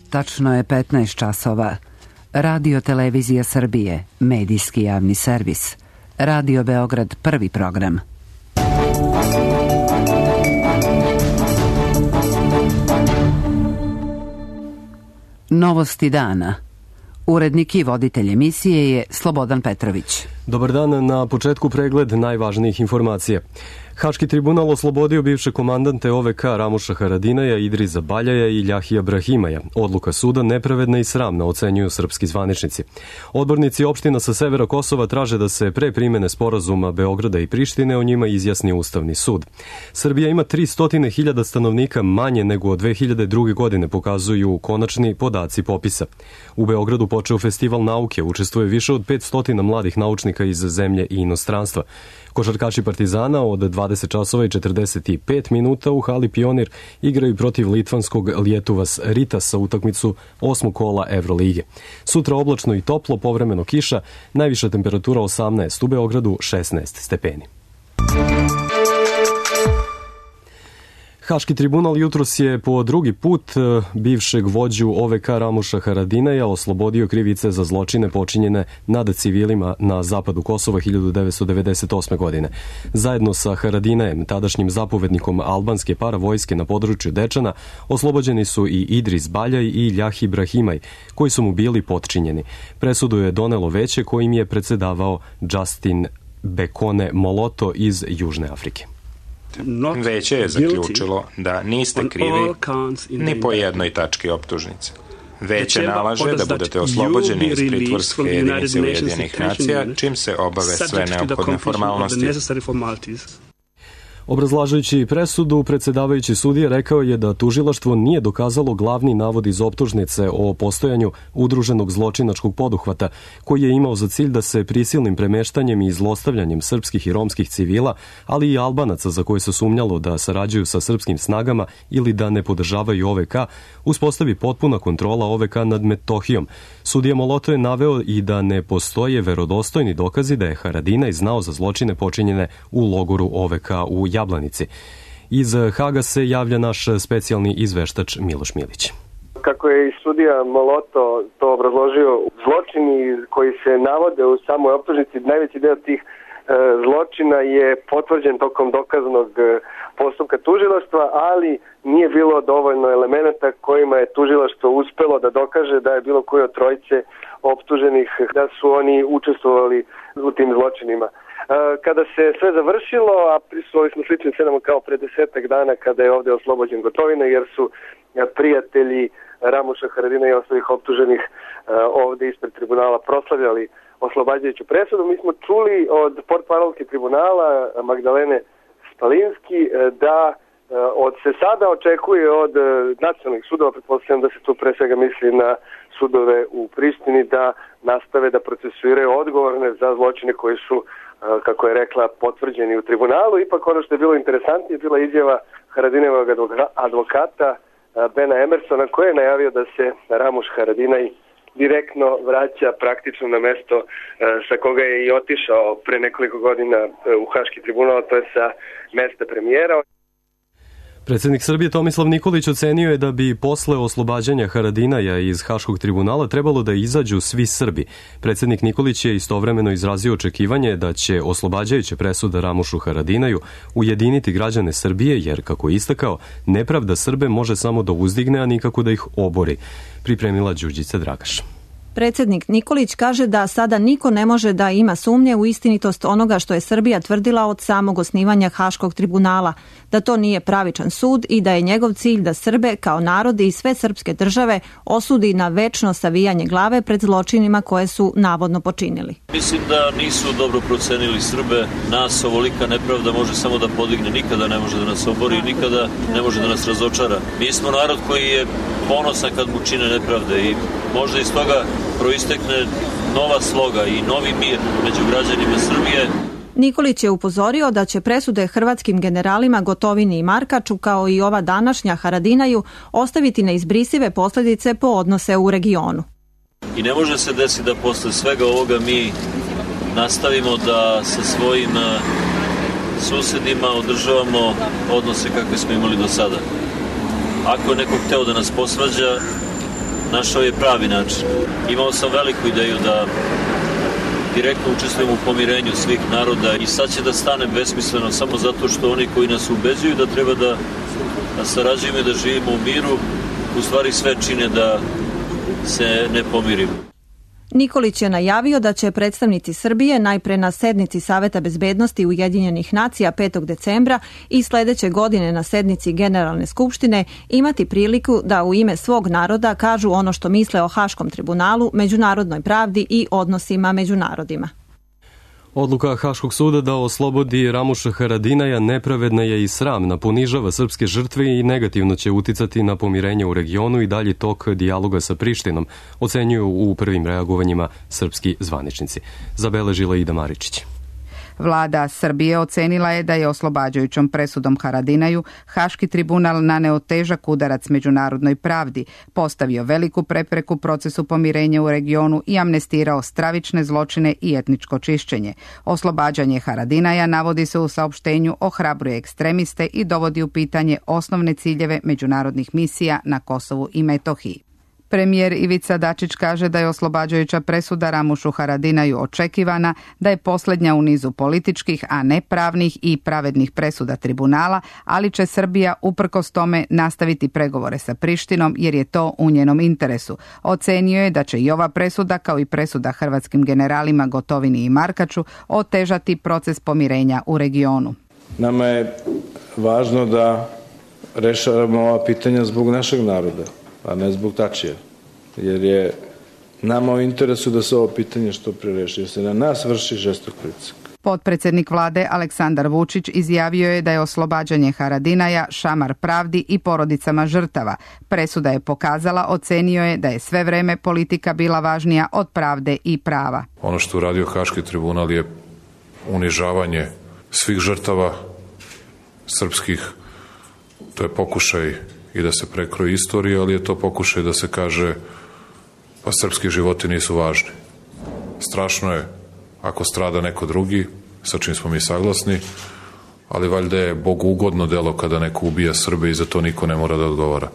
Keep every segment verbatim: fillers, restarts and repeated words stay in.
Tačno je petnaest časova. Radio Televizija Srbije, medijski javni servis. Radio Beograd, prvi program. Novosti dana. Urednik i voditelj emisije je Slobodan Petrović. Dobar dan, na početku pregled najvažnijih informacija. Haški tribunal oslobodio bivše komandante O V K Ramuša Haradinaja, Idriza Baljaja i Ljahija Brahimaja. Odluka suda nepravedna i sramna, ocenjuju srpski zvaničnici. Odbornici opština sa severa Kosova traže da se pre primene sporazuma Beograda i Prištine o njima izjasni Ustavni sud. Srbija ima tristo hiljada stanovnika manje nego od dve hiljade druge. godine, pokazuju konačni podaci popisa. U Beogradu počeo festival nauke, učestvuje više od petsto mladih naučnika iz zemlje i inostranstva. Košarkaši Partizana od dvadeset časova i četrdeset pet minuta u hali Pionir igraju protiv litvanskog Lietuvas Ritasa utakmicu osmog kola Evrolige. Sutra oblačno i toplo, povremeno kiša, najviša temperatura osamnaest, u Beogradu šesnaest stepeni. Haški tribunal jutros je po drugi put bivšeg vođu O V K Ramuša Haradinaja oslobodio krivice za zločine počinjene nad civilima na zapadu Kosova hiljadu devetsto devedeset osme. godine. Zajedno sa Haradinajem, tadašnjim zapovednikom albanske paravojske na području Dečana, oslobođeni su i Idris Baljaj i Ljahi Brahimaj, koji su mu bili potčinjeni. Presudu je donelo veće kojim je predsedavao Justin Bekone Moloto iz Južne Afrike. Veće je zaključilo da niste krivi ni po jednoj tački optužnice. Veće nalaže da budete oslobođeni iz pritvorske jedinice Ujedinjenih nacija, čim se obave sve neophodne formalnosti. Obrazlažujući presudu, predsedavajući sudije rekao je da tužilaštvo nije dokazalo glavni navod iz optužnice o postojanju udruženog zločinačkog poduhvata, koji je imao za cilj da se prisilnim premeštanjem i zlostavljanjem srpskih i romskih civila, ali i Albanaca za koje se sumnjalo da sarađuju sa srpskim snagama ili da ne podržavaju O V K, uspostavi potpuna kontrola O V K nad Metohijom. Sudija Moloto je naveo i da ne postoje verodostojni dokazi da je Haradinaj znao za zločine počinjene u logoru O V K u Jablanici. Iz Haga se javlja naš specijalni izveštač Miloš Milić. Kako je i sudija Moloto to obrazložio, zločini koji se navode u samoj optužnici, najveći deo tih e, zločina je potvrđen tokom dokaznog e, postupka tužilaštva, ali nije bilo dovoljno elemenata kojima je tužilaštvo uspelo da dokaže da je bilo koji od trojice optuženih da su oni učestvovali u tim zločinima. Kada se sve završilo, a prisustvovali smo sličnim scenama kao pre desetak dana kada je ovde oslobođen Gotovina, jer su prijatelji Ramuša Haradinaja i ostalih optuženih ovde ispred tribunala proslavljali oslobađajuću presudu. Mi smo čuli od portparolke tribunala Magdalene Spalinski da od se sada očekuje od nacionalnih sudova, pretpostavljam da se tu pre svega misli na sudove u Prištini, da nastave da procesuiraju odgovorne za zločine koji su, kako je rekla, potvrđeni u tribunalu. Ipak ono što je bilo interesantnije je bila izjava Haradinajevog advokata Bena Emersona, koji je najavio da se Ramuš Haradinaj direktno vraća praktično na mesto sa koga je i otišao pre nekoliko godina u Haški tribunal, to je sa mesta premijera. Predsednik Srbije Tomislav Nikolić ocenio je da bi posle oslobađanja Haradinaja iz Haškog tribunala trebalo da izađu svi Srbi. Predsednik Nikolić je istovremeno izrazio očekivanje da će oslobađajuća presuda Ramušu Haradinaju ujediniti građane Srbije, jer, kako je istakao, nepravda Srbe može samo da uzdigne, a nikako da ih obori. Pripremila Đurđica Dragaš. Predsednik Nikolić kaže da sada niko ne može da ima sumnje u istinitost onoga što je Srbija tvrdila od samog osnivanja Haškog tribunala, da to nije pravičan sud i da je njegov cilj da Srbe kao narod i sve srpske države osudi na večno savijanje glave pred zločinima koje su navodno počinili. Mislim da nisu dobro procenili Srbe. Nas ovolika nepravda može samo da podigne, nikada ne može da nas obori, nikada ne može da nas razočara. Mi smo narod koji je ponosan kad mu čine nepravde i možda iz toga proistekne nova sloga i novi mir među građanima Srbije. Nikolić je upozorio da će presude hrvatskim generalima Gotovini i Markaču, kao i ova današnja Haradinaju, ostaviti neizbrisive posljedice po odnose u regionu. I ne može se desiti da posle svega ovoga mi nastavimo da sa svojim susedima održavamo odnose kakve smo imali do sada. Ako je neko hteo da nas posvađa, našao je pravi način. Imao sam veliku ideju da direktno učestvujem u pomirenju svih naroda i sad će da stanem besmisleno samo zato što oni koji nas ubeđuju da treba da, da sarađujemo i da živimo u miru, u stvari sve čine da se ne pomirimo. Nikolić je najavio da će predstavnici Srbije najpre na sednici Saveta bezbednosti Ujedinjenih nacija petog decembra i sledeće godine na sednici Generalne skupštine imati priliku da u ime svog naroda kažu ono što misle o Haškom tribunalu, međunarodnoj pravdi i odnosima među narodima. Odluka Haškog suda da oslobodi Ramuša Haradinaja nepravedna je i sramna, ponižava srpske žrtve i negativno će uticati na pomirenje u regionu i dalji tok dijaloga sa Prištinom, ocenjuju u prvim reagovanjima srpski zvaničnici. Zabeležila Ida Maričić. Vlada Srbije ocenila je da je oslobađajućom presudom Haradinaju Haški tribunal naneo težak udarac međunarodnoj pravdi, postavio veliku prepreku procesu pomirenja u regionu i amnestirao stravične zločine i etničko čišćenje. Oslobađanje Haradinaja navodi se u saopštenju ohrabruje ekstremiste i dovodi u pitanje osnovne ciljeve međunarodnih misija na Kosovu i Metohiji. Premijer Ivica Dačić kaže da je oslobađajuća presuda Ramušu Haradinaju očekivana, da je posljednja u nizu političkih, a ne pravnih i pravednih presuda tribunala, ali će Srbija uprkos tome nastaviti pregovore sa Prištinom jer je to u njenom interesu. Ocenio je da će i ova presuda, kao i presuda hrvatskim generalima Gotovini i Markaču, otežati proces pomirenja u regionu. Nama je važno da rešavamo ova pitanja zbog našeg naroda, a ne zbog Tačija, jer je nama u interesu da se ovo pitanje što pre reši, jer se na nas vrši žestok pritisak. Potpredsjednik vlade Aleksandar Vučić izjavio je da je oslobađanje Haradinaja šamar pravdi i porodicama žrtava. Presuda je pokazala, ocenio je da je sve vreme politika bila važnija od pravde i prava. Ono što uradio Haški tribunal je unižavanje svih žrtava srpskih, to je pokušaj i da se prekroji istorija, ali je to pokušaj da se kaže pa srpski životi nisu važni. Strašno je ako strada neko drugi, sa čim smo mi saglasni, ali valjda je Bogu ugodno delo kada neko ubija Srbe i za to niko ne mora da odgovara.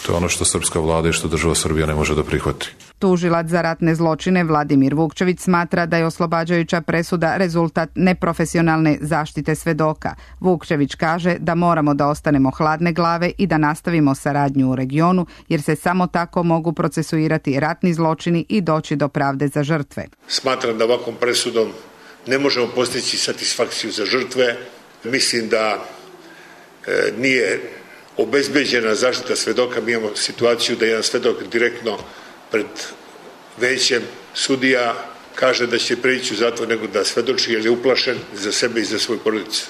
To je ono što srpska vlada i što država Srbija ne može da prihvati. Tužilac za ratne zločine Vladimir Vukčević smatra da je oslobađajuća presuda rezultat neprofesionalne zaštite svedoka. Vukčević kaže da moramo da ostanemo hladne glave i da nastavimo saradnju u regionu, jer se samo tako mogu procesuirati ratni zločini i doći do pravde za žrtve. Smatram da ovakvom presudom ne možemo postići satisfakciju za žrtve. Mislim da e, nije obezbeđena zaštita svedoka. Mi imamo situaciju da jedan svedok direktno pred većem sudija kaže da će preći u zatvor nego da svedoči, jer je uplašen za sebe i za svoju porodicu.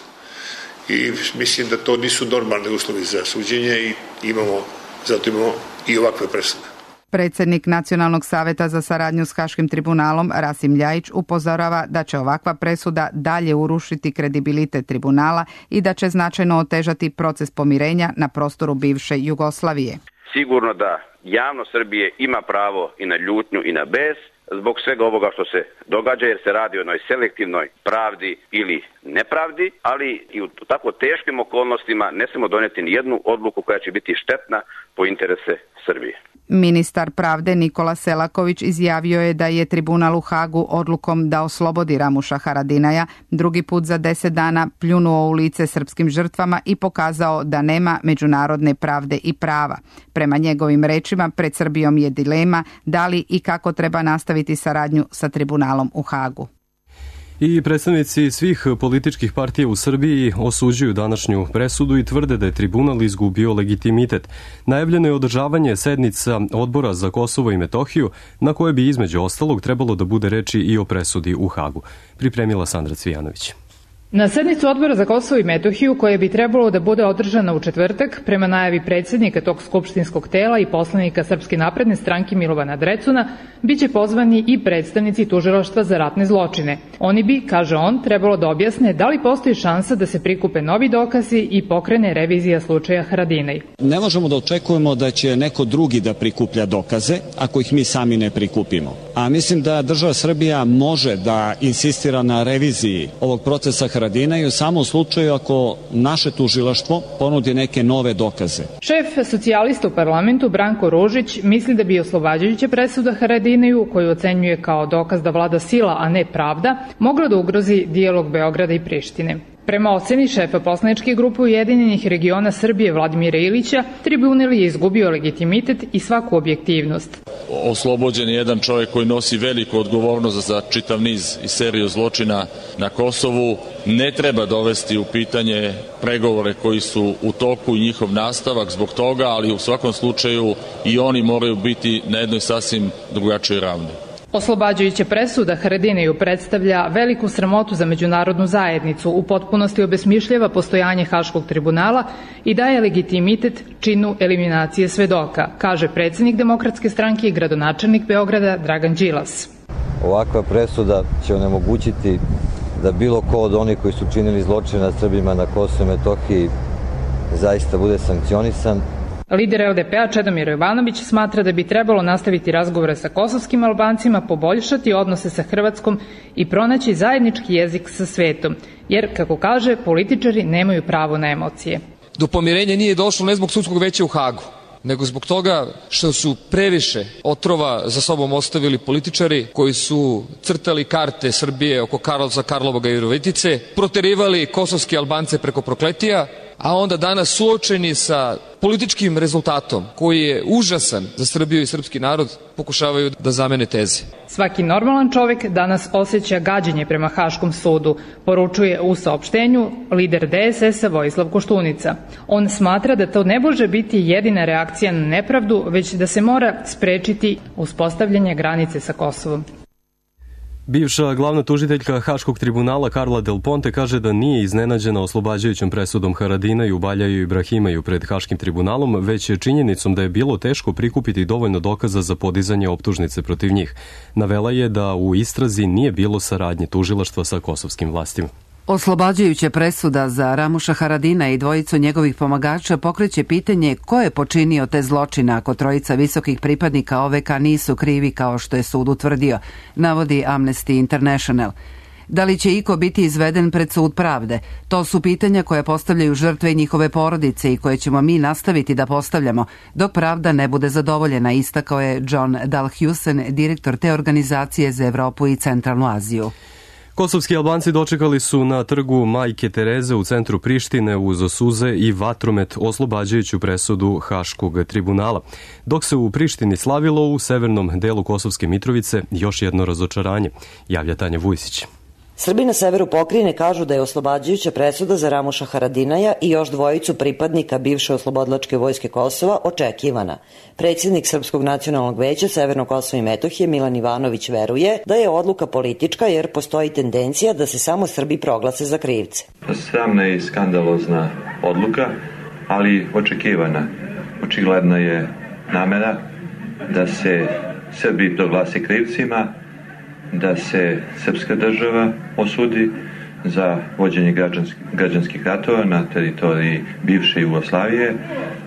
I mislim da to nisu normalni uslovi za suđenje i imamo, zato imamo i ovakve presude. Predsjednik Nacionalnog saveta za saradnju s Haškim tribunalom Rasim Ljajić upozorava da će ovakva presuda dalje urušiti kredibilitet tribunala i da će značajno otežati proces pomirenja na prostoru bivše Jugoslavije. Sigurno da javnost Srbije ima pravo i na ljutnju i na bes zbog svega ovoga što se događa, jer se radi o jednoj selektivnoj pravdi ili nepravdi, ali i u tako teškim okolnostima ne smemo doneti ni jednu odluku koja će biti štetna po interese Srbije. Ministar pravde Nikola Selaković izjavio je da je tribunal u Hagu odlukom da oslobodi Ramuša Haradinaja drugi put za deset dana pljunuo u lice srpskim žrtvama i pokazao da nema međunarodne pravde i prava. Prema njegovim rečima, pred Srbijom je dilema da li i kako treba nastaviti saradnju sa tribunalom u Hagu. I predstavnici svih političkih partija u Srbiji osuđuju današnju presudu i tvrde da je tribunal izgubio legitimitet. Najavljeno je održavanje sednica Odbora za Kosovo i Metohiju, na koje bi između ostalog trebalo da bude reči i o presudi u Hagu. Pripremila Sandra Cvijanović. Na sednicu Odbora za Kosovo i Metohiju, koja bi trebalo da bude održana u četvrtak, prema najavi predsjednika tog skupštinskog tela i poslanika Srpske napredne stranke Milovana Drecuna, biće pozvani i predstavnici Tužilaštva za ratne zločine. Oni bi, kaže on, trebalo da objasne da li postoji šansa da se prikupe novi dokazi i pokrene revizija slučaja Haradinaj. Ne možemo da očekujemo da će neko drugi da prikuplja dokaze ako ih mi sami ne prikupimo. A mislim da država Srbija može da insistira na reviziji ovog procesa Haradinaju samo u slučaju ako naše tužilaštvo ponudi neke nove dokaze. Šef socijalista u parlamentu Branko Ružić misli da bi oslobađajuća presuda Haradinaju, koju ocenjuje kao dokaz da vlada sila, a ne pravda, mogla da ugrozi dijalog Beograda i Prištine. Prema oceni šefa poslaničke grupe Ujedinjenih regiona Srbije Vladimira Ilića, tribunal je izgubio legitimitet i svaku objektivnost. Oslobođen je jedan čovjek koji nosi veliku odgovornost za čitav niz i seriju zločina na Kosovu. Ne treba dovesti u pitanje pregovore koji su u toku i njihov nastavak zbog toga, ali u svakom slučaju i oni moraju biti na jednoj sasvim drugačijoj ravni. Oslobađajuća presuda Haradinaju predstavlja veliku sramotu za međunarodnu zajednicu, u potpunosti obesmišljava postojanje Haškog tribunala i daje legitimitet činu eliminacije svedoka, kaže predsjednik Demokratske stranke i gradonačelnik Beograda Dragan Đilas. Ovakva presuda će onemogućiti da bilo ko od onih koji su činili zločine nad Srbima na Kosovu i Metohiji zaista bude sankcionisan. Lider L D P-a Čedomir Jovanović smatra da bi trebalo nastaviti razgovore sa kosovskim Albancima, poboljšati odnose sa Hrvatskom i pronaći zajednički jezik sa svetom, jer, kako kaže, političari nemaju pravo na emocije. Do pomirenja nije došlo ne zbog sudskog veća u Hagu, nego zbog toga što su previše otrova za sobom ostavili političari koji su crtali karte Srbije oko Karlovca, Karlovoga i Virovitice, proterivali kosovske Albance preko Prokletija, a onda danas suočeni sa političkim rezultatom koji je užasan za Srbiju i srpski narod, pokušavaju da zamene teze. Svaki normalan čovjek danas osjeća gađenje prema Haškom sudu, poručuje u saopštenju lider D S S-a Vojislav Koštunica. On smatra da to ne može biti jedina reakcija na nepravdu, već da se mora sprečiti uspostavljanje granice sa Kosovom. Bivša glavna tužiteljka Haškog tribunala Karla Del Ponte kaže da nije iznenađena oslobađajućom presudom Haradinaju, Baljaju i Ibrahimaju pred Haškim tribunalom, već je činjenicom da je bilo teško prikupiti dovoljno dokaza za podizanje optužnice protiv njih. Navela je da u istrazi nije bilo saradnje tužilaštva sa kosovskim vlastima. Oslobađajuća presuda za Ramuša Haradina i dvojicu njegovih pomagača pokreće pitanje ko je počinio te zločine ako trojica visokih pripadnika O V K nisu krivi kao što je sud utvrdio, navodi Amnesty International. Da li će iko biti izveden pred sud pravde? To su pitanja koje postavljaju žrtve i njihove porodice i koje ćemo mi nastaviti da postavljamo dok pravda ne bude zadovoljena, istakao je John Dalhusen, direktor te organizacije za Evropu i Centralnu Aziju. Kosovski Albanci dočekali su na trgu Majke Tereze u centru Prištine uz suze i vatromet oslobađajuću presudu Haškog tribunala. Dok se u Prištini slavilo, u severnom delu Kosovske Mitrovice još jedno razočaranje, javlja Tanja Vujsić. Srbi na severu pokrajine kažu da je oslobađajuća presuda za Ramuša Haradinaja i još dvojicu pripadnika bivše oslobodilačke vojske Kosova očekivana. Predsjednik Srpskog nacionalnog veća Severnog Kosova i Metohije Milan Ivanović veruje da je odluka politička jer postoji tendencija da se samo Srbi proglase za krivce. Sramna i skandalozna odluka, ali očekivana. Očigledna je namera da se Srbi proglase krivcima, da se srpska država osudi za vođenje građanskih, građanskih ratova na teritoriji bivše Jugoslavije,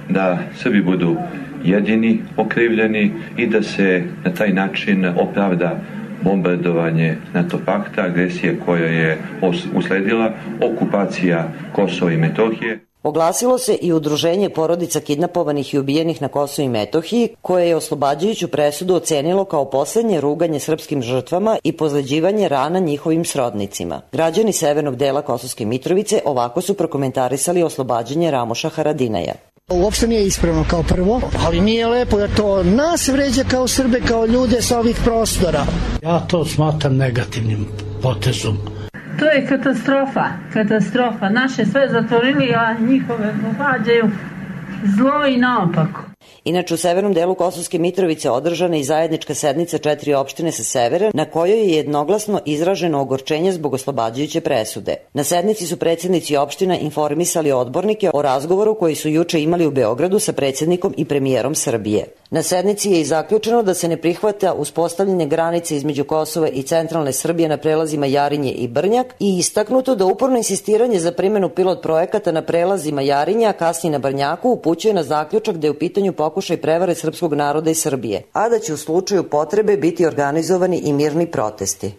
da Srbi budu jedini okrivljeni i da se na taj način opravda bombardovanje NATO pakta, agresije koja je usledila, okupacija Kosova i Metohije. Oglasilo se i udruženje porodica kidnapovanih i ubijenih na Kosovu i Metohiji, koje je oslobađajuću presudu ocenilo kao poslednje ruganje srpskim žrtvama i pozleđivanje rana njihovim srodnicima. Građani severnog dela Kosovske Mitrovice ovako su prokomentarisali oslobađanje Ramuša Haradinaja. Uopšte nije ispravno kao prvo, ali nije lepo jer to nas vređa kao Srbe, kao ljude sa ovih prostora. Ja to smatram negativnim potezom. To je katastrofa, katastrofa. Naše sve zatvorili, a njihove događaju zlo i naopako. Inače, u severnom delu Kosovske Mitrovice održana i zajednička sednica četiri opštine sa severa, na kojoj je jednoglasno izraženo ogorčenje zbog oslobađajuće presude. Na sednici su predsjednici opština informisali odbornike o razgovoru koji su juče imali u Beogradu sa predsjednikom i premijerom Srbije. Na sednici je i zaključeno da se ne prihvata uspostavljanje granice između Kosova i centralne Srbije na prelazima Jarinje i Brnjak i istaknuto da uporno insistiranje za primjenu pilot projekata na prelazima Jarinja, a kasnije na Brnjaku, upućuje na zaključak da je u pitanju pokušaj prevare srpskog naroda i Srbije, a da će u slučaju potrebe biti organizovani i mirni protesti.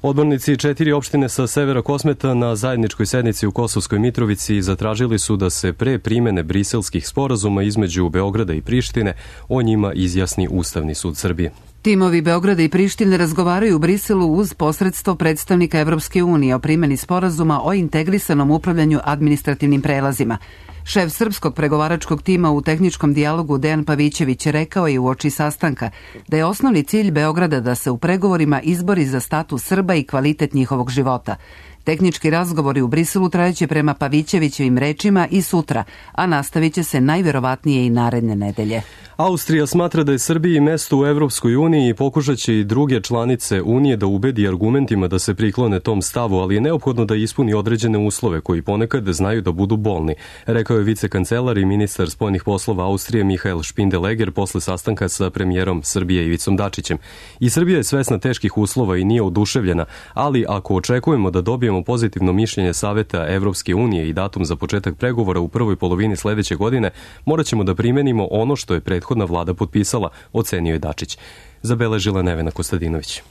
Odbornici četiri opštine sa severa Kosmeta na zajedničkoj sednici u Kosovskoj Mitrovici zatražili su da se pre primene briselskih sporazuma između Beograda i Prištine o njima izjasni Ustavni sud Srbije. Timovi Beograda i Prištine razgovaraju u Briselu uz posredstvo predstavnika Evropske unije o primjeni sporazuma o integrisanom upravljanju administrativnim prelazima. Šef srpskog pregovaračkog tima u tehničkom dijalogu Dejan Pavićević rekao je uoči sastanka da je osnovni cilj Beograda da se u pregovorima izbori za status Srba i kvalitet njihovog života. Tehnički razgovori u Briselu trajeće prema Pavićevićevim rečima i sutra, a nastavit će se najverovatnije i naredne nedelje. Austrija smatra da je Srbiji mesto u Evropskoj uniji i pokušat će i druge članice Unije da ubedi argumentima da se priklone tom stavu, ali je neophodno da ispuni određene uslove koji ponekad znaju da budu bolni, rekao je vicekancelar i ministar spoljnih poslova Austrije Mihael Špindeleger posle sastanka sa premijerom Srbije Ivicom Dačićem. I Srbija je svesna teških uslova i nije oduševljena, ali ako očekujemo da dobijemo pozitivno mišljenje Saveta Evropske unije i datum za početak pregovora u prvoj polovini sledeće godine, morat ćemo da primenimo ono što je prethodna vlada potpisala, ocenio je Dačić. Zabeležila Nevena Kostadinović.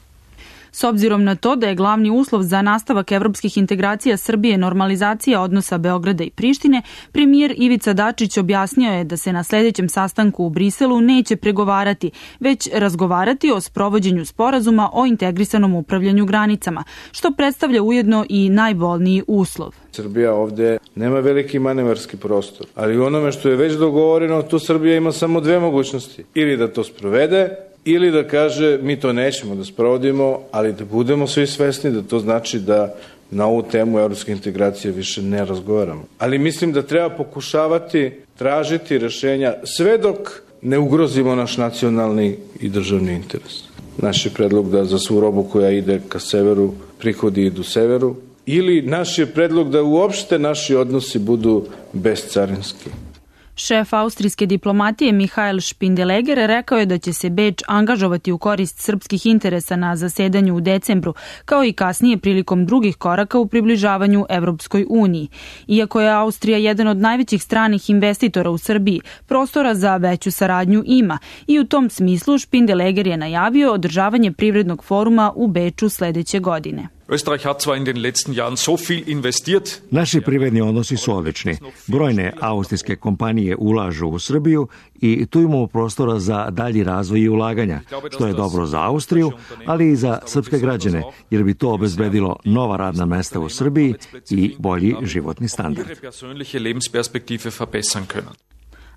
S obzirom na to da je glavni uslov za nastavak evropskih integracija Srbije normalizacija odnosa Beograda i Prištine, premijer Ivica Dačić objasnio je da se na sledećem sastanku u Briselu neće pregovarati, već razgovarati o sprovođenju sporazuma o integrisanom upravljanju granicama, što predstavlja ujedno i najbolniji uslov. Srbija ovde nema veliki manevarski prostor, ali u onome što je već dogovoreno, tu Srbija ima samo dve mogućnosti. Ili da to sprovede, ili da kaže mi to nećemo da sprovodimo, ali da budemo svi svesni da to znači da na ovu temu evropske integracije više ne razgovaramo. Ali mislim da treba pokušavati tražiti rešenja sve dok ne ugrozimo naš nacionalni i državni interes. Naš je predlog da za svu robu koja ide ka severu, prihodi idu severu, ili naš je predlog da uopšte naši odnosi budu bezcarinski. Šef austrijske diplomatije Mihael Špindeleger rekao je da će se Beč angažovati u korist srpskih interesa na zasedanju u decembru, kao i kasnije prilikom drugih koraka u približavanju Evropskoj uniji. Iako je Austrija jedan od najvećih stranih investitora u Srbiji, prostora za veću saradnju ima i u tom smislu Špindeleger je najavio održavanje privrednog foruma u Beču sledeće godine. Naši privredni odnosi su odlični. Brojne austrijske kompanije ulažu u Srbiju i tu imamo prostora za dalji razvoj i ulaganja, što je dobro za Austriju, ali i za srpske građane, jer bi to obezbedilo nova radna mesta u Srbiji i bolji životni standard.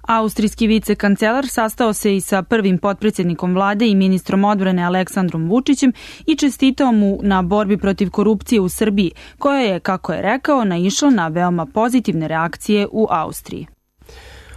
Austrijski vicekancelar sastao se i sa prvim potpredsjednikom vlade i ministrom odbrane Aleksandrom Vučićem i čestitao mu na borbi protiv korupcije u Srbiji, koja je, kako je rekao, naišla na veoma pozitivne reakcije u Austriji.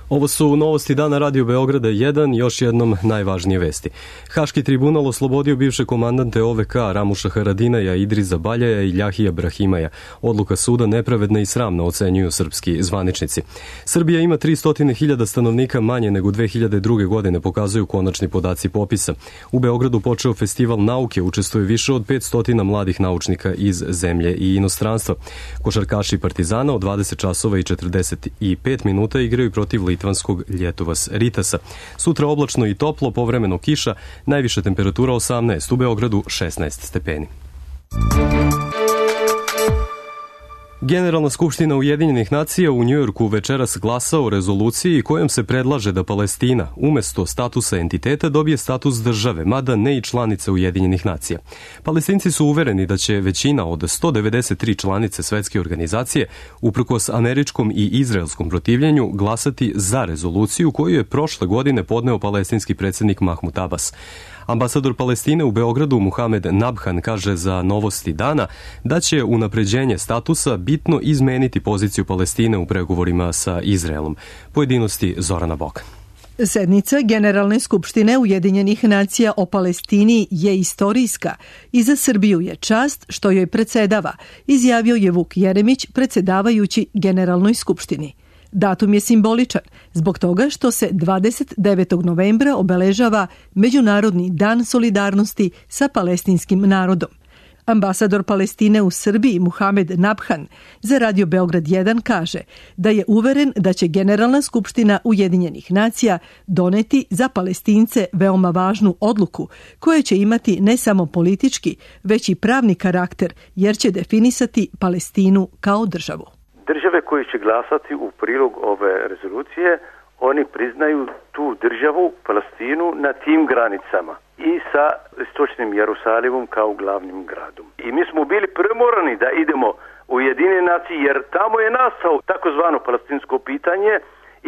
Ovo su novosti dana Radio Beograda jedan, još jednom najvažnije vesti. Haški tribunal oslobodio bivše komandante O V K Ramuša Haradinaja, Idriza Baljaja i Ljahija Brahimaja. Odluka suda nepravedna i sramna, ocenjuju srpski zvaničnici. Srbija ima tristo hiljada stanovnika manje nego dve hiljade druge. godine, pokazuju konačni podaci popisa. U Beogradu počeo festival nauke, učestvuje više od petsto mladih naučnika iz zemlje i inostranstva. Košarkaši Partizana od dvadeset časova i četrdeset pet minuta igraju protiv litvanskog Ljetovas Ritasa. Sutra oblačno i toplo, povremeno kiša, najviša temperatura osamnaest, u Beogradu šesnaest stepeni. Generalna skupština Ujedinjenih nacija u Njujorku večeras glasa o rezoluciji kojom se predlaže da Palestina umesto statusa entiteta dobije status države, mada ne i članice Ujedinjenih nacija. Palestinci su uvereni da će većina od sto devedeset tri članice svetske organizacije, uprkos američkom i izraelskom protivljenju, glasati za rezoluciju koju je prošle godine podneo palestinski predsjednik Mahmud Abbas. Ambasador Palestine u Beogradu Muhamed Nabhan kaže za Novosti dana da će unapređenje statusa bitno izmeniti poziciju Palestine u pregovorima sa Izraelom. Pojedinosti Zorana Bokan. Sednica Generalne skupštine Ujedinjenih nacija o Palestini je istorijska i za Srbiju je čast što joj predsedava, izjavio je Vuk Jeremić, predsedavajući Generalnoj skupštini. Datum je simboličan zbog toga što se dvadeset devetog novembra obeležava Međunarodni dan solidarnosti sa palestinskim narodom. Ambasador Palestine u Srbiji Muhamed Nabhan za Radio Beograd jedan kaže da je uveren da će Generalna skupština Ujedinjenih nacija doneti za Palestince veoma važnu odluku koja će imati ne samo politički, već i pravni karakter, jer će definisati Palestinu kao državu. Države koje će glasati u prilog ove rezolucije, oni priznaju tu državu, Palestinu, na tim granicama i sa istočnim Jerusalimom kao glavnim gradom. I mi smo bili primorani da idemo u Ujedinjene nacije jer tamo je nastao takozvano palestinsko pitanje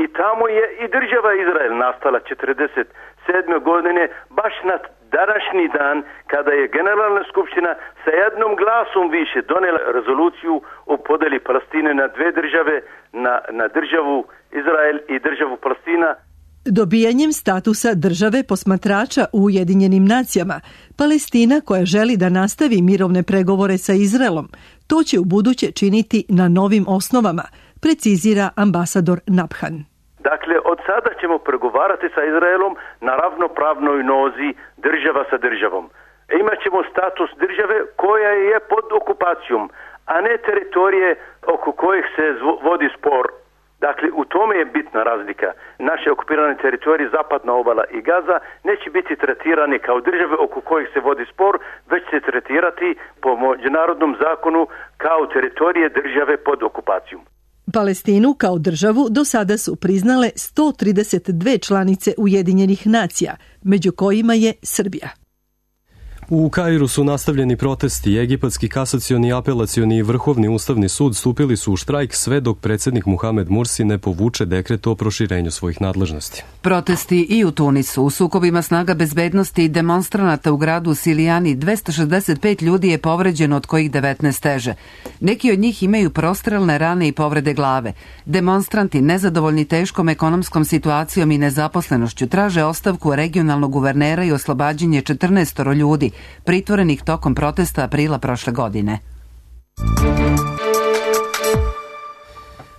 i tamo je i država Izrael nastala četrdeset sedme godine baš na današnji dan kada je Generalna skupština sa jednom glasom više donela rezoluciju o podeli Palestine na dve države, na, na državu Izrael i državu Palestina. Dobijanjem statusa države posmatrača u Ujedinjenim nacijama, Palestina koja želi da nastavi mirovne pregovore sa Izraelom, to će u buduće činiti na novim osnovama, precizira ambasador Nabhan. Dakle, od sada ćemo pregovarati sa Izraelom na ravnopravnoj nozi država sa državom. Imaćemo status države koja je pod okupacijom, a ne teritorije oko kojih se vodi spor. Dakle, u tome je bitna razlika. Naše okupirane teritorije, zapadna obala i Gaza, neće biti tretirani kao države oko kojih se vodi spor, već se tretirati po međunarodnom zakonu kao teritorije države pod okupacijom. Palestinu kao državu do sada su priznale sto trideset dve članice Ujedinjenih nacija, među kojima je Srbija. U Kairu su nastavljeni protesti. Egipatski kasacioni, apelacioni i vrhovni ustavni sud stupili su u štrajk sve dok predsjednik Muhamed Mursi ne povuče dekret o proširenju svojih nadležnosti. Protesti i u Tunisu. U sukobima snaga bezbednosti i demonstranata u gradu Silijani dvesta šezdeset pet ljudi je povređeno, od kojih devetnaest teže. Neki od njih imaju prostrelne rane i povrede glave. Demonstranti, nezadovoljni teškom ekonomskom situacijom i nezaposlenošću, traže ostavku regionalnog guvernera i oslobađanje četrnaestoro ljudi pritvorenih tokom protesta aprila prošle godine.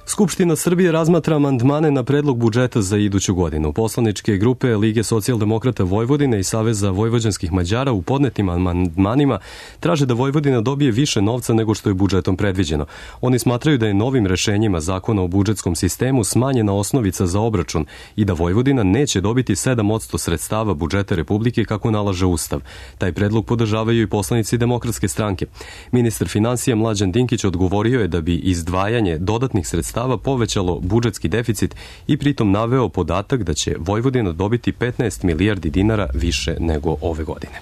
Skupština Srbije razmatra amandmane na predlog budžeta za iduću godinu. Poslaničke grupe Lige socijaldemokrata Vojvodine i Saveza vojvođanskih Mađara u podnetim amandmanima traže da Vojvodina dobije više novca nego što je budžetom predviđeno. Oni smatraju da je novim rešenjima zakona o budžetskom sistemu smanjena osnovica za obračun i da Vojvodina neće dobiti sedam posto sredstava budžeta Republike kako nalaže Ustav. Taj predlog podržavaju i poslanici Demokratske stranke. Ministar finansija Mlađan Dinkić odgovorio je da bi izdvajanje dodatnih sredstava povećalo budžetski deficit i pritom naveo podatak da će Vojvodina dobiti petnaest milijardi dinara više nego ove godine.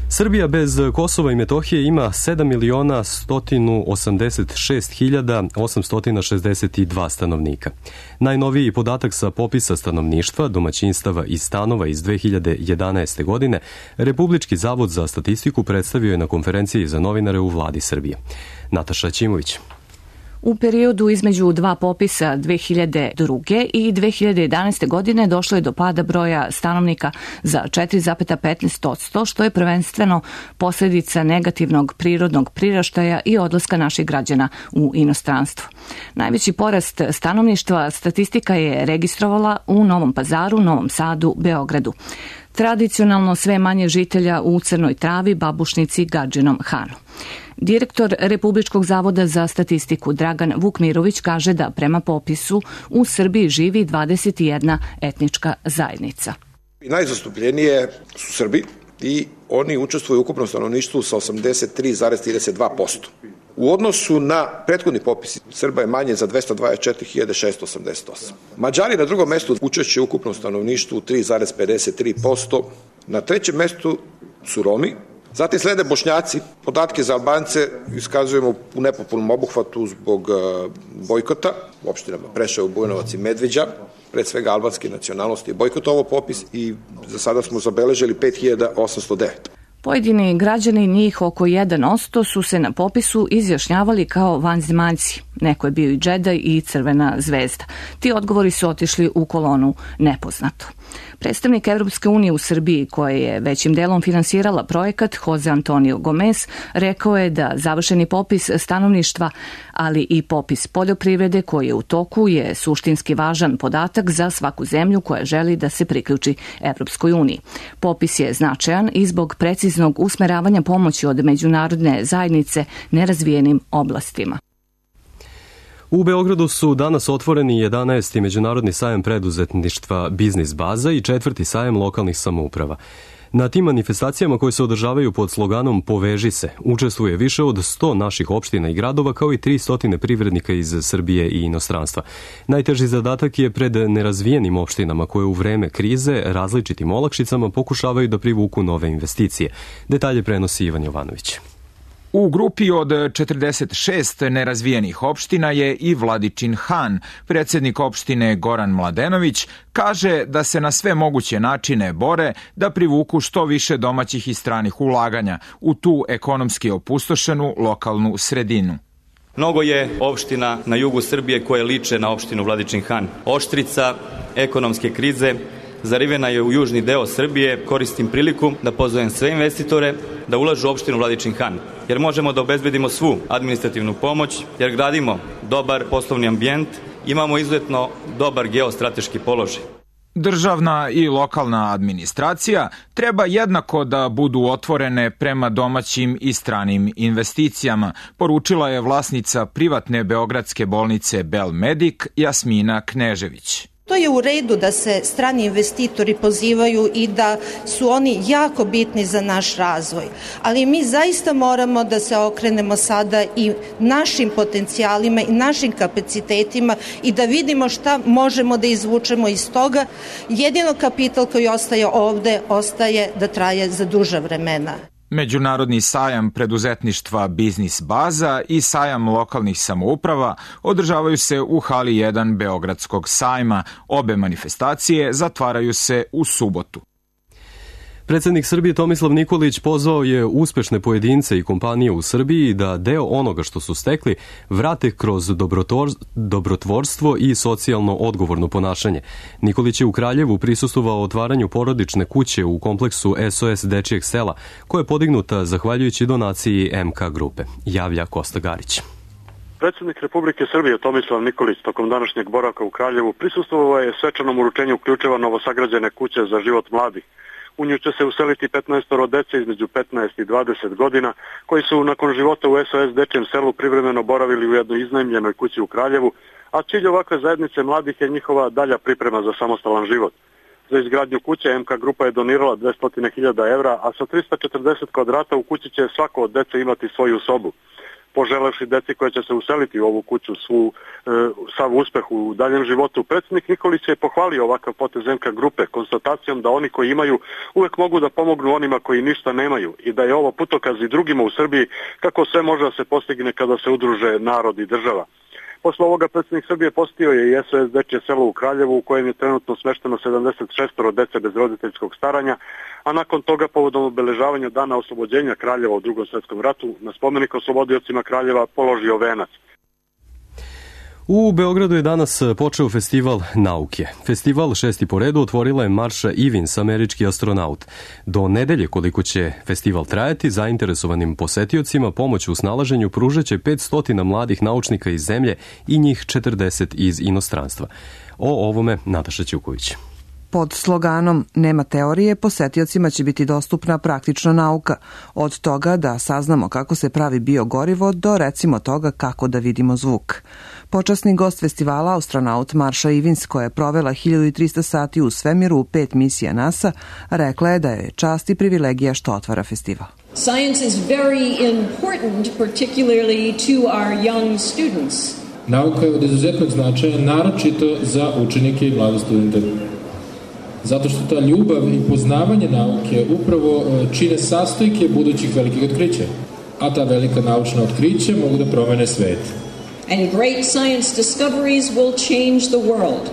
Srbija bez Kosova i Metohije ima sedam miliona sto osamdeset šest hiljada osamsto šezdeset dva stanovnika. Najnoviji podatak sa popisa stanovništva, domaćinstava i stanova iz dve hiljade jedanaeste. godine Republički zavod za statistiku predstavio je na konferenciji za novinare u vladi Srbije. Nataša Ćimović. U periodu između dva popisa dve hiljade druge. i dve hiljade jedanaeste. godine došlo je do pada broja stanovnika za četiri zarez petnaest posto, što je prvenstveno posljedica negativnog prirodnog priraštaja i odlaska naših građana u inostranstvo. Najveći porast stanovništva statistika je registrovala u Novom Pazaru, Novom Sadu, Beogradu. Tradicionalno sve manje žitelja u Crnoj Travi, Babušnici, Gadžinom Hanu. Direktor Republičkog zavoda za statistiku Dragan Vukmirović kaže da prema popisu u Srbiji živi dvadeset jedna etnička zajednica. Najzastupljenije su Srbi i oni učestvuju u ukupnom stanovništvu sa osamdeset tri zarez trideset dva posto. U odnosu na prethodni popis Srba je manje za dvesta dvadeset četiri hiljade šesto osamdeset osam. Mađari na drugom mestu učešće u ukupnom stanovništvu tri zarez pedeset tri posto. Na trećem mestu su Romi. Zatim slede Bošnjaci. Podatke za Albance iskazujemo u nepopulnom obuhvatu zbog bojkota u opštinama Preševo, Bujanovac i Medveđa. Pred svega albanske nacionalnosti je bojkotovao popis i za sada smo zabeležili pet hiljada osamsto devet. Pojedini građani, njih oko jedan posto, su se na popisu izjašnjavali kao vanzemaljci. Neko je bio i džedaj i crvena zvezda. Ti odgovori su otišli u kolonu nepoznato. Predstavnik Evropske unije u Srbiji, koja je većim delom finansirala projekat, Jose Antonio Gomez, rekao je da završeni popis stanovništva, ali i popis poljoprivrede koji je u toku, je suštinski važan podatak za svaku zemlju koja želi da se priključi Evropskoj uniji. Popis je značajan i zbog preciznog usmeravanja pomoći od međunarodne zajednice nerazvijenim oblastima. U Beogradu su danas otvoreni jedanaesti međunarodni sajam preduzetništva Biznis baza i četvrti sajam lokalnih samouprava. Na tim manifestacijama koje se održavaju pod sloganom Poveži se, učestvuje više od sto naših opština i gradova kao i tristo privrednika iz Srbije i inostranstva. Najteži zadatak je pred nerazvijenim opštinama koje u vreme krize različitim olakšicama pokušavaju da privuku nove investicije. Detalje prenosi Ivan Jovanović. U grupi od četrdeset šest nerazvijenih opština je i Vladičin Han. Predsjednik opštine Goran Mladenović kaže da se na sve moguće načine bore da privuku što više domaćih i stranih ulaganja u tu ekonomski opustošenu lokalnu sredinu. Mnogo je opština na jugu Srbije koje liče na opštinu Vladičin Han. Oštrica ekonomske krize zarivena je u južni deo Srbije. Koristim priliku da pozovem sve investitore da ulažu u opštinu Vladičin Han, jer možemo da obezbedimo svu administrativnu pomoć, jer gradimo dobar poslovni ambijent, imamo izuzetno dobar geostrateški položaj. Državna i lokalna administracija treba jednako da budu otvorene prema domaćim i stranim investicijama, poručila je vlasnica privatne beogradske bolnice Belmedik Jasmina Knežević. To je u redu da se strani investitori pozivaju i da su oni jako bitni za naš razvoj, ali mi zaista moramo da se okrenemo sada i našim potencijalima i našim kapacitetima i da vidimo šta možemo da izvučemo iz toga. Jedino kapital koji ostaje ovde ostaje da traje za duža vremena. Međunarodni sajam preduzetništva Biznis baza i sajam lokalnih samouprava održavaju se u hali jedan Beogradskog sajma. Obe manifestacije zatvaraju se u subotu. Predsjednik Srbije Tomislav Nikolić pozvao je uspešne pojedince i kompanije u Srbiji da deo onoga što su stekli vrate kroz dobrotvorstvo i socijalno odgovorno ponašanje. Nikolić je u Kraljevu prisustvovao otvaranju porodične kuće u kompleksu S O S Dečijeg sela, koja je podignuta zahvaljujući donaciji M K grupe. Javlja Kosta Garić. Predsjednik Republike Srbije Tomislav Nikolić tokom današnjeg boravka u Kraljevu prisustvovao je svečanom uručenju ključeva novosagrađene kuće za život mladih. U nju će se useliti petnaestoro dece između petnaest i dvadeset godina, koji su nakon života u S O S Dečijem selu privremeno boravili u jednoj iznajmljenoj kući u Kraljevu, a cilj ovakve zajednice mladih je njihova dalja priprema za samostalan život. Za izgradnju kuće M K grupa je donirala dvesta hiljada evra, a sa trista četrdeset kvadrata u kući će svako od dece imati svoju sobu. Poželevši deci koja će se useliti u ovu kuću svu, e, sav uspeh u daljem životu, predsjednik Nikolić je pohvalio ovakav potez M K grupe konstatacijom da oni koji imaju uvek mogu da pomognu onima koji ništa nemaju i da je ovo putokaz i drugima u Srbiji kako sve može da se postigne kada se udruže narod i država. Posle ovoga predsjednik Srbije posjetio je i S O S Dečije selo u Kraljevu, u kojem je trenutno smešteno sedamdeset šest dece bez roditeljskog staranja, a nakon toga povodom obeležavanja dana oslobođenja Kraljeva u Drugom svjetskom ratu na spomenik oslobodiocima Kraljeva položio venac. U Beogradu je danas počeo festival nauke. Festival šesti po redu otvorila je Marsha Ivins, američki astronaut. Do nedelje koliko će festival trajati, zainteresovanim posetiocima pomoć u snalaženju pružaće petsto mladih naučnika iz zemlje i njih četrdeset iz inostranstva. O ovome Nataša Ćuković. Pod sloganom Nema teorije, posetiocima će biti dostupna praktična nauka. Od toga da saznamo kako se pravi biogorivo do recimo toga kako da vidimo zvuk. Počasni gost festivala, astronaut Marsha Ivins, koja je provela hiljadu trista sati u svemiru u pet misija NASA, rekla je da je čast i privilegija što otvara festival. Science is very important, particularly to our young students. Nauka je od izuzetnog značaja, naročito za učenike i mlade studente. Zato što ta ljubav i poznavanje nauke upravo čine sastojke budućih velikih otkrića. A ta velika naučna otkrića mogu da promene svet. And great science discoveries will change the world.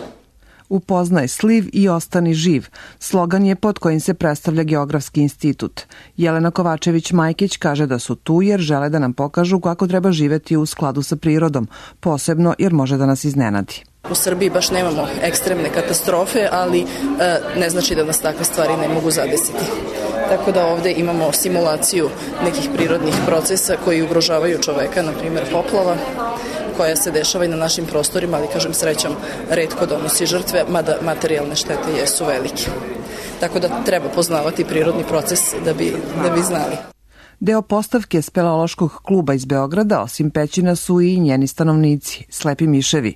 Upoznaj sliv i ostani živ. Slogan je pod kojim se predstavlja Geografski institut. Jelena Kovačević-Majkić kaže da su tu jer žele da nam pokažu kako treba živeti u skladu sa prirodom, posebno jer može da nas iznenadi. U Srbiji baš nemamo ekstremne katastrofe, ali ne znači da nas takve stvari ne mogu zadesiti. Tako da ovde imamo simulaciju nekih prirodnih procesa koji ugrožavaju čoveka, na primjer poplava, koja se dešava i na našim prostorima, ali kažem srećom retko donosi žrtve, mada materijalne štete jesu velike. Tako da treba poznavati prirodni proces da bi, da bi znali. Deo postavke speleološkog kluba iz Beograda, osim pećina, su i njeni stanovnici, slepi miševi.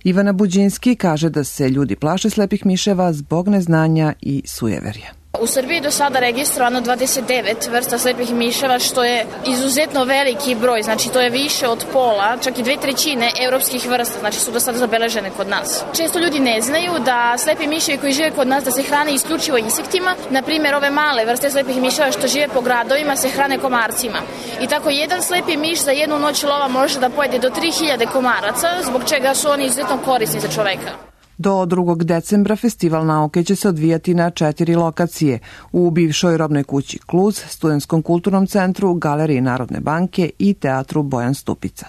Ivana Buđinski kaže da se ljudi plaše slepih miševa zbog neznanja i sujeverja. U Srbiji je do sada registrovano dvadeset devet vrsta slepih miševa, što je izuzetno veliki broj, znači to je više od pola, čak i dve trećine evropskih vrsta, znači su do sada zabeležene kod nas. Često ljudi ne znaju da slepi miševi koji žive kod nas da se hrane isključivo insektima, na primjer ove male vrste slepih miševa što žive po gradovima se hrane komarcima. I tako jedan slepi miš za jednu noć lova može da pojede do tri hiljade komaraca, zbog čega su oni izuzetno korisni za čoveka. Do drugog decembra Festival nauke će se odvijati na četiri lokacije: u bivšoj robnoj kući Kluz, Studentskom kulturnom centru, Galeriji Narodne banke i Teatru Bojan Stupica.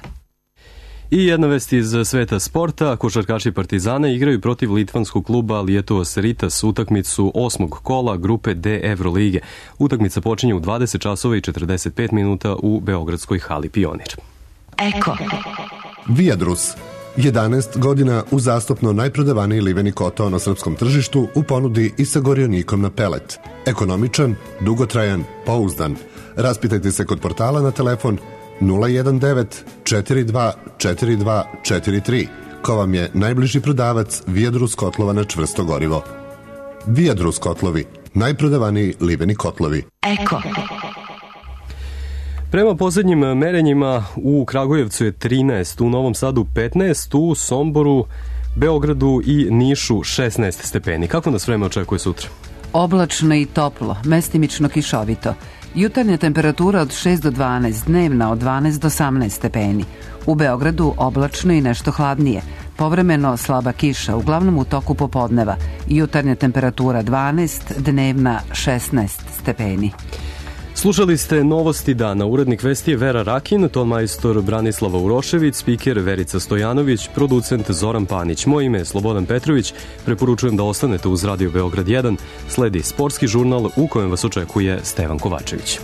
I jedna vest iz sveta sporta. Košarkaši Partizana igraju protiv litvanskog kluba Lietuvos Rytas utakmicu osmog kola grupe D Evrolige. Utakmica počinje u dvadeset časova i četrdeset pet minuta u beogradskoj hali Pionir. Eko. Viadrus. jedanaest godina uzastopno najprodavaniji liveni kotao na srpskom tržištu u ponudi i sa gorionikom na pelet. Ekonomičan, dugotrajan, pouzdan. Raspitajte se kod portala na telefon nula jedan devet četiri dva četiri dva četiri tri, ko vam je najbliži prodavac Viadrus kotlova na čvrsto gorivo. Viadrus kotlovi, najprodavaniji liveni kotlovi. Eko. Prema poslednjim merenjima u Kragujevcu je trinaest, u Novom Sadu petnaest, u Somboru, Beogradu i Nišu šesnaest stepeni. Kako nas vreme očekuje sutra? Oblačno i toplo, mestimično kišovito. Jutarnja temperatura od šest do dvanaest, dnevna od dvanaest do osamnaest stepeni. U Beogradu oblačno i nešto hladnije. Povremeno slaba kiša, uglavnom u toku popodneva. Jutarnja temperatura dvanaest, dnevna šesnaest stepeni. Slušali ste Novosti dana. Urednik vesti je Vera Rakin, ton majstor Branislava Urošević, spiker Verica Stojanović, producent Zoran Panić. Moje ime je Slobodan Petrović. Preporučujem da ostanete uz Radio Beograd jedan. Sledi sportski žurnal u kojem vas očekuje Stevan Kovačević.